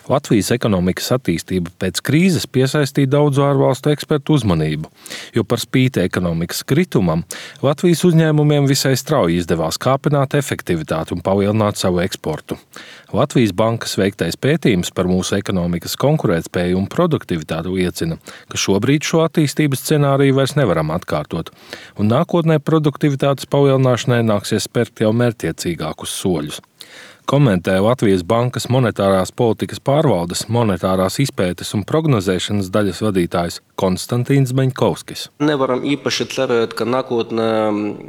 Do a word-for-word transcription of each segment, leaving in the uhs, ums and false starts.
Latvijas ekonomikas attīstība pēc krīzes piesaistīja daudzu ārvalstu ekspertu uzmanību, jo par spīti ekonomikas kritumam Latvijas uzņēmumiem visai strauji izdevās kāpināt efektivitāti un palielināt savu eksportu. Latvijas bankas veiktais pētījums par mūsu ekonomikas konkurētspēju un produktivitāti liecina, ka šobrīd šo attīstības scenāriju vairs nevaram atkārtot, un nākotnē produktivitātes palielināšanai nāksies spērt jau mērķtiecīgākus soļus. Komentē Latvijas bankas monetārās politikas pārvaldes, monetārās izpētes un prognozēšanas daļas vadītājs Konstantīns Beņkovskis. Nevaram īpaši cerēt, ka nākotnē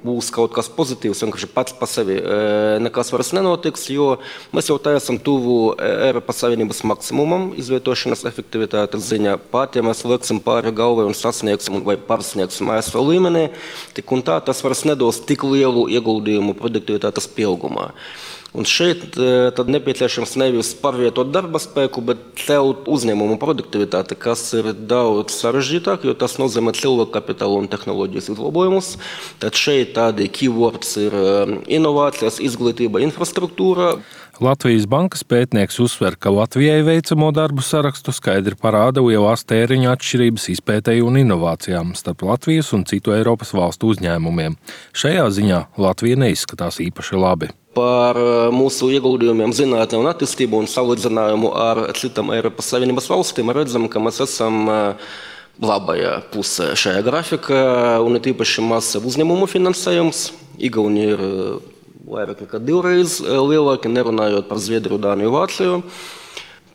būs kaut kas pozitīvs, vienkārši pats pa sevi nekas vairs nenotiks, jo mēs jau tā esam tuvu Eiropas Savienības maksimumam izvietošanas efektivitātes ziņā. Pat, ja mēs lieksim pāri galvai un sasniegsim vai pārsniegsim A S V līmenī, tik un tā tas vairs nedos tik lielu ieguldījumu produktivitātes pieaugumā. Un šeit tad nepieciešams nevis pārvietot darba spēku, bet celt uzņēmumu produktivitāti, kas ir daudz sarežģītāk, jo tas nozīmē cilvēku kapitālu un tehnoloģijas uzlabojumus. Tad šeit tādi keywords ir inovācijas, izglītība, infrastruktūra. Latvijas bankas pētnieks uzsver, ka Latvijai veicamo darbu sarakstu skaidri parāda lielās tēriņu atšķirības izpētei un inovācijām starp Latvijas un citu Eiropas valstu uzņēmumiem. Šajā ziņā Latvija neizskatās īpaši labi. Par mūsu ieguldījumiem zinātnē un attīstību un salīdzinājumu ar citām Eiropas Savienības valstīm redzam, ka mēs esam labajā pusē šajā grafikā, un ir īpaši mazs uzņēmumu finansējums. Igaunija ir vairāk nekā divreiz lielāki, nerunājot par Zviedriju, Dāniju, Vāciju.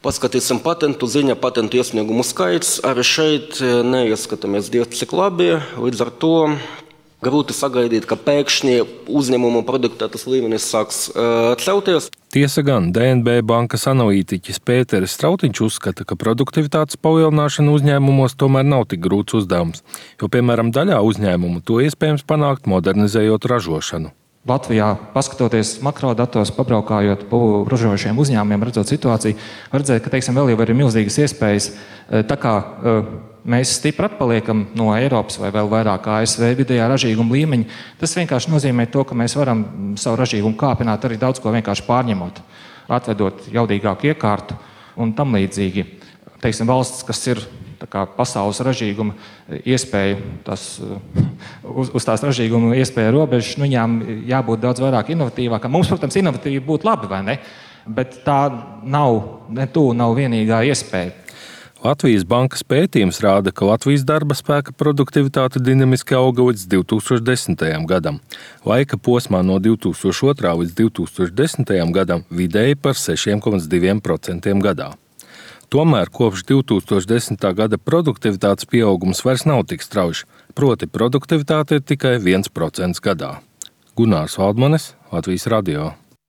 Paskatīsim patentu ziņā, patentu iesniegumu skaits. Arī šeit neieskatāmies diezgan cik labi, līdz ar to grūti sagaidīt, ka pēkšņi uzņēmumu produktivitātes līmenis sāks uh, celties. Tiesa gan, D N B bankas analītiķis Pēteris Strautiņš uzskata, ka produktivitātes palielināšana uzņēmumos tomēr nav tik grūts uzdevums, jo, piemēram, daļā uzņēmumu to iespējams panākt, modernizējot ražošanu. Latvijā, paskatoties makrodatos, pabraukājot pa ražojošiem uzņēmumiem, redzot situāciju, var redzēt, ka, teiksim, vēl jau ir milzīgas iespējas, tā kā mēs stipri atpaliekam no Eiropas vai vēl vairāk A S V vidējā ražīguma līmeņa, tas vienkārši nozīmē to, ka mēs varam savu ražīgumu kāpināt arī daudz ko vienkārši pārņemot, atvedot jaudīgāku iekārtu un tam līdzīgi. Teiksim, valsts, kas ir tā kā pasaules ražīguma iespēja, tas, uz, uz tās ražīguma iespēja robežas, nu, viņām jābūt daudz vairāk inovatīvākām. Mums, protams, inovatīvi būtu labi, vai ne? Bet tā nav, ne tu nav vienīgā iespēja. Latvijas bankas pētījums rāda, ka Latvijas darba spēka produktivitāte dinamiski auga līdz divi tūkstoši desmitajam gadam. Laika posmā no divi tūkstoši otrā līdz divi tūkstoši desmitajam gadam vidēji par seši komats divi procenti gadā. Tomēr kopš divi tūkstoši desmitā gada produktivitātes pieaugums vairs nav tik strauji, proti produktivitāte ir tikai viens procents gadā. Gunārs Valdmanis, Latvijas radio.